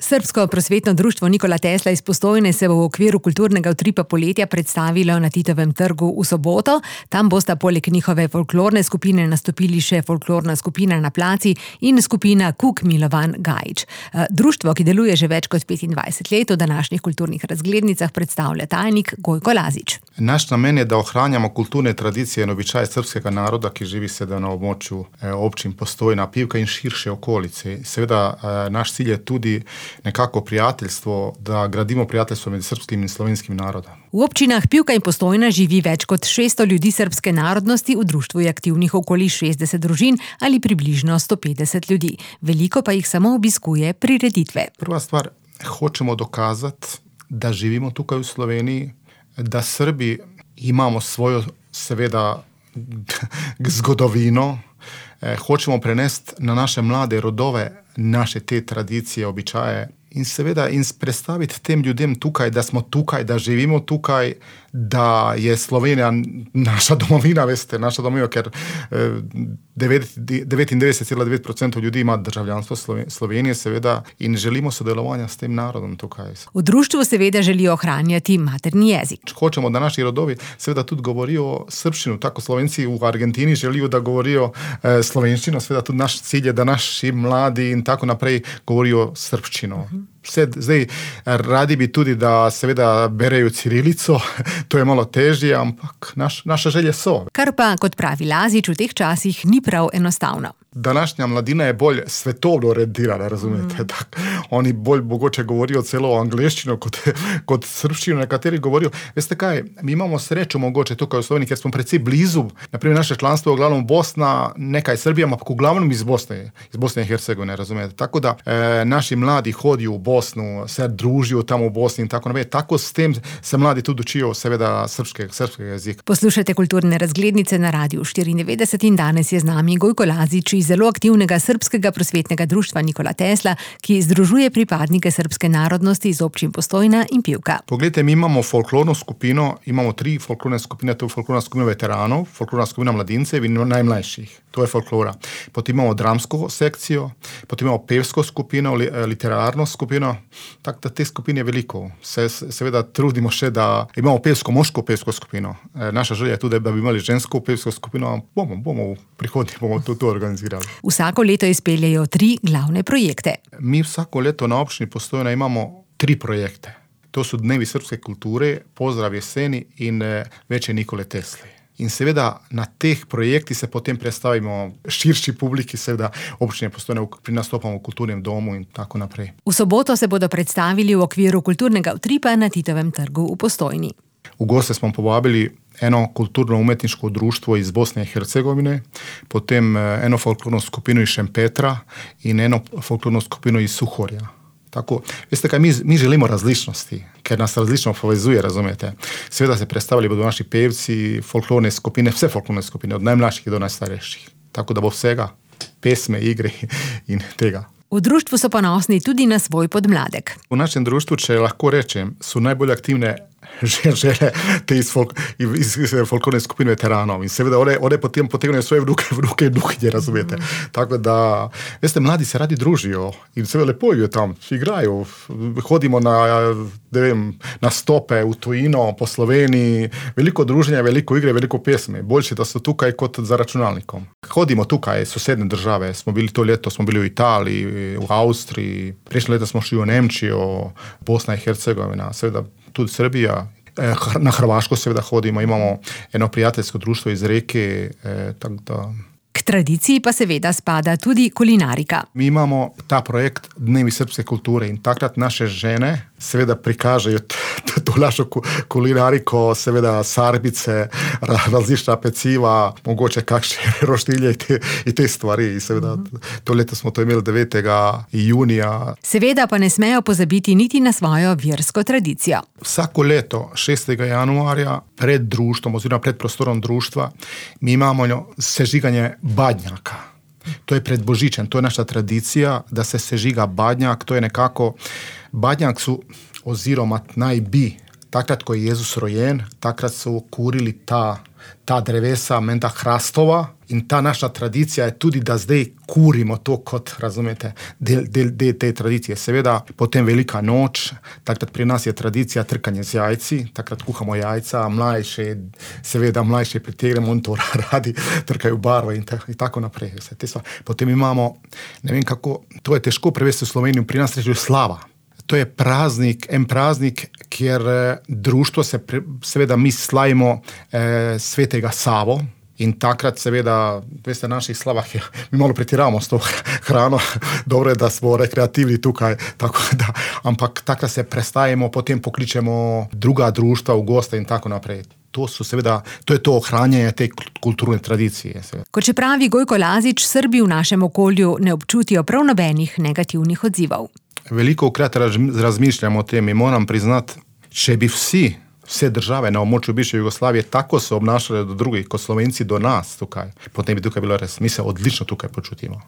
Srbsko prosvetno društvo Nikola Tesla iz Postojne se bo v okviru kulturnega utripa poletja predstavilo na Titovem trgu v soboto. Tam bosta poleg njihove folklorne skupine nastopili še folklorna skupina Na placi in skupina Kuk Milovan Gajić. Društvo, ki deluje že več kot 25 let, v današnjih kulturnih razglednicah predstavlja tajnik Gojko Lazić. Naš namen je, da ohranjamo kulturne tradicije in običaje srpskega naroda, ki živi seveda na območju občin Postojna, Pivka in širše okolice. Seveda naš cilj je tudi nekako prijateljstvo, da gradimo prijateljstvo med srpskim in slovenskim narodom. V občinah Pivka in Postojna živi več kot 600 ljudi srpske narodnosti, v društvu je aktivnih okoli 60 družin ali približno 150 ljudi. Veliko pa jih samo obiskuje prireditve. Prva stvar, hočemo dokazati, da živimo tukaj v Sloveniji, da Srbi imamo svojo, seveda, zgodovino, hočemo prenesti na naše mlade rodove naše te tradicije, običaje in seveda predstaviti tem ljudem tukaj, da smo tukaj, da živimo tukaj, da je Slovenija naša domovina, veste, naša domovina, ker 99,9% ljudi ima državljanstvo Slovenije, seveda, in želimo sodelovanja s tem narodom tukaj. V društvu seveda želijo ohranjati materni jezik. Hočemo, da naši rodovi seveda tudi govorijo srbščino, tako Slovenci v Argentini želijo, da govorijo slovenščino, seveda tudi naš cilj je, da naši mladi in tako naprej govorijo srbščino. Zdaj, radi bi tudi, da seveda berejo cirilico, to je malo težje, ampak naše želje so. Kar pa, kot pravi Lazić, v teh časih ni prav enostavno. Današnja mladina je bolj svetovno orientirana, razumete? Oni bolj mogoče govorijo celo angleščino kot srbščino, nekateri govorijo. Veste kaj, mi imamo srečo mogoče tukaj v Sloveniji, ker smo precej blizu. Naprimer, naše članstvo je v glavnom Bosna, nekaj Srbija, ampak v glavnom iz Bosne in Hercegovine, razumete? Tako da naši mladi hodijo v Bosnu, se družijo tam v Bosni in tako naprej. Tako s tem se mladi tudi učijo seveda srpskega jezika. Poslušajte kulturne razglednice na Radiu 94 in danes je z nami Gojko Lazić iz zelo aktivnega srpskega prosvetnega društva Nikola Tesla, ki združuje pripadnike srpske narodnosti iz občin Postojna in Pivka. Poglejte, mi imamo folklorno skupino, imamo 3 folklorne skupine, to je folklorna skupina veteranov, folklorna skupina mladincev in najmlajših. To je folklora. Potem imamo dramsko sekcijo, potem imamo pevsko skupino, literarno skupino. Tako da te skupine je veliko. Seveda trudimo še, da imamo moško pevsko skupino. Naša želja je tudi, da bi imeli žensko pevsko skupino. Bomo v prihodnje to organizirali. Vsako leto izpeljejo 3 glavne projekte. Mi vsako leto na občini Postojna imamo 3 projekte. To so Dnevi srpske kulture, Pozdrav jeseni in Veče Nikole Tesle. In seveda na teh projektih se potem predstavimo širši publiki, seveda občine Postojne pri nastopamo v kulturnem domu in tako naprej. V soboto se bodo predstavili v okviru kulturnega utripa na Titovem trgu v Postojni. V goste smo povabili eno kulturno-umetniško društvo iz Bosne in Hercegovine, potem eno folklorno skupino iz Šempetra in eno folklorno skupino iz Suhorja. Tako, veste kaj, mi želimo različnosti, ker nas različno povezuje, razumete. Seveda se predstavili bodo naši pevci, folklorne skupine, vse folklorne skupine, od najmlajših do najstarejših. Tako da bo vsega, pesme, igre in tega. V društvu so ponosni tudi na svoj podmladek. V našem društvu, če lahko rečem, so najbolj aktivne žene te iz folklorne skupine veteranov. In seveda one potem potegnejo svoje vnuke in vnukinje, razumete. Tako da, veste, mladi se radi družijo in seveda lepo je tam, igrajo. Hodimo na stope v tujino, po Sloveniji, veliko druženja, veliko igre, veliko pesmi. Boljše, da so tukaj kot za računalnikom. Hodimo tukaj, sosedne države, to leto smo bili v Italiji, v Avstriji, prejšnje leto smo šli v Nemčijo, Bosna in Hercegovina, seveda tudi Srbija, na Hrvaško seveda hodimo, imamo eno prijateljsko društvo iz Reke, tako da... K tradiciji pa seveda spada tudi kulinarika. Mi imamo ta projekt Dnevi srpske kulture in takrat naše žene seveda prikažejo to našo kulinariko, seveda sarbice, različna peciva, mogoče kakšne roštilje in te stvari. In seveda to leto smo to imeli 9. junija. Seveda pa ne smejo pozabiti niti na svojo versko tradicijo. Vsako leto 6. januarja pred društvom oziroma pred prostorom društva mi imamo sežiganje badnjaka. To je pred Božičem, to je naša tradicija, da se sežiga badnjak, to je nekako, badnjak su, oziroma naj bi, takrat ko je Jezus rojen, takrat su kurili ta drevesa, menda hrastova In ta naša tradicija je tudi, da zdaj kurimo to kot, razumete, del te tradicije. Seveda, potem velika noč, takrat pri nas je tradicija trkanje z jajci, takrat kuhamo jajca, mlajši pritegnemo in to radi trkajo barvo in tako naprej. Potem imamo, ne vem kako, to je težko prevesti v Slovenijo, pri nas reče slava. To je en praznik, kjer društvo seveda mi slavimo svetega Savo in takrat seveda, veste, v naših slavah mi malo pretiravamo s to hrano, dobro je, da smo rekreativni tukaj, ampak takrat se prestajemo, potem pokličemo druga društva v goste in tako naprej. To je to ohranjanje te kulturne tradicije. Seveda. Kot še pravi Gojko Lazič, Srbi v našem okolju ne občutijo prav nobenih negativnih odzivov. Velikokrat razmišljamo o tem in moram priznati, če bi vse države na območju bivše Jugoslavije tako se obnašale do drugih, kot Slovenci do nas tukaj, potem bi tukaj bilo res, mi se odlično tukaj počutimo.